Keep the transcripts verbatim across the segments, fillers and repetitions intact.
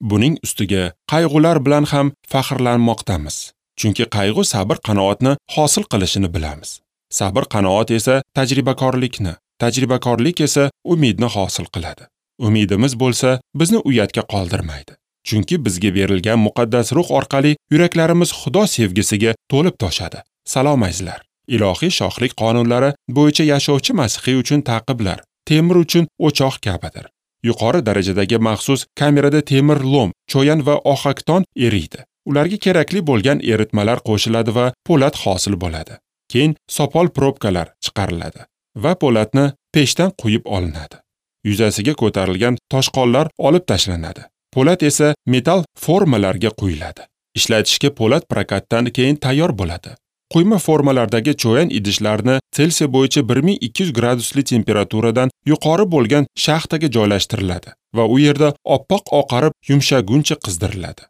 Buning ustiga qayg'ular bilan ham faxrlanmoqdamiz. Chunki qayg'u sabr qanoatni hosil qilishini bilamiz. Sabr qanoat esa tajribakorlikni, tajribakorlik esa umidni hosil qiladi. Umidimiz bo'lsa bizni uyatga qoldirmaydi. Chunki bizga berilgan muqaddas ruh orqali yuraklarimiz Xudo sevgisiga to'lib toshadi. Salom azizlar. Ilohiy shohlik qonunlari bo'yicha yashovchi masihiy uchun ta'qiblar temir uchun o'choq kabidir. Yuqori darajadagi maxsus kamerada temir lom, cho'yan va ohakton eriydi. Ularga kerakli bo'lgan eritmalar qo'shiladi va po'lat hosil bo'ladi. Keyin sopol probkalar chiqariladi va po'latni pechdan quyib olinadi. Yuzasiga ko'tarilgan toshqonlar olib tashlanadi. Po'lat esa metal formalarga quyiladi. Ishlatishga po'lat prokatdan keyin tayyor bo'ladi. Quyma formalardagi cho'yan idishlarni Selsiy bo'yicha bir ming ikki yuz gradusli temperaturadan yuqori bo'lgan shaxtaga joylashtiriladi va u yerda oppoq oqarib yumshaguncha qizdiriladi.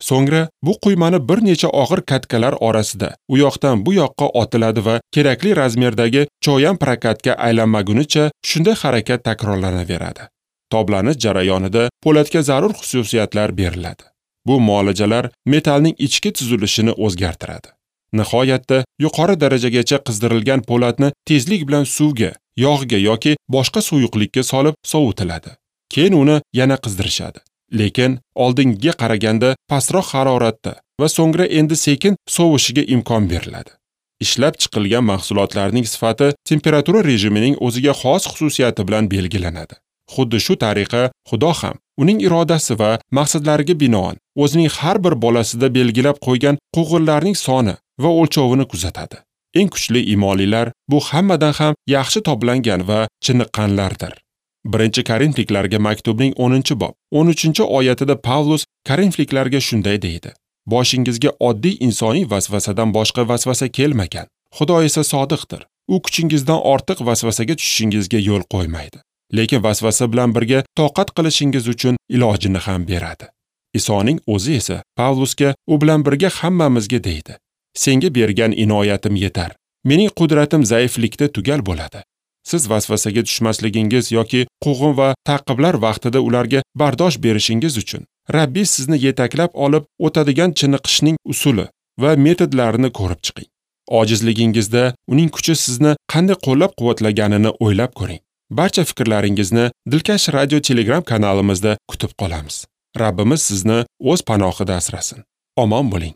So'ngra bu quymani bir necha og'ir katkalar orasida u yoqdan bu yoqqa otiladi va kerakli razmerdagi cho'yan prokatga aylanmagunicha shunday harakat takrorlanaveradi. Toblanish jarayonida po'latga zarur xususiyatlar beriladi. Bu muolajalar metalning ichki tuzilishini o'zgartiradi. Nihoyatda yuqori darajagacha qizdirilgan po'latni tezlik bilan suvga, yog'ga yoki boshqa suyuqlikka solib sovutiladi. Keyin uni yana qizdirishadi. Lekin oldingiga qaraganda pastroq haroratda va so'ngra endi sekin sovishiga imkon beriladi. Ishlab chiqilgan mahsulotlarning sifati temperatura rejimining o'ziga xos xususiyati bilan belgilanadi. Xuddi shu tariqa Xudo ham uning irodasi va maqsadlariga binoan o'zining har bir bolasida belgilab qo'ygan quvg'inlarning soni va o'lchovini kuzatadi. Eng kuchli imonlilar bu hammadan ham yaxshi toblangan va chiniqqanlardir. Birinchi Korinfliklarga maktubning o'ninchi bob o'n uchinchi oyatida Pavlus Korinfliklarga shunday deydi: Boshingizga oddiy insoniy vasvasadan boshqa vasvasa kelmagan. Xudo esa sodiqdir. U kuchingizdan ortiq vasvasaga tushishingizga yo'l qo'ymaydi. Lekin vasvasa bilan birga toqat qilishingiz uchun ilojini ham beradi. Isoning o'zi esa Pavlusga u bilan birga hammamizga deydi: Senga bergan inoyatim yetar. Mening qudratim zaiflikda tugal bo'ladi. Siz vasvasaga tushmasligingiz yoki quvg'in va ta'qiblar vaqtida ularga bardosh berishingiz uchun Rabbi sizni yetaklab olib o'tadigan chiniqishning usuli va metodlarini ko'rib chiqing. Ojizligingizda uning kuchi sizni qanday qo'llab-quvvatlaganini o'ylab ko'ring. Barcha fikrlaringizni Dilkash radio Telegram kanalimizda kutib qolamiz. Rabbimiz sizni o'z panohida asrasin. Omon bo'ling.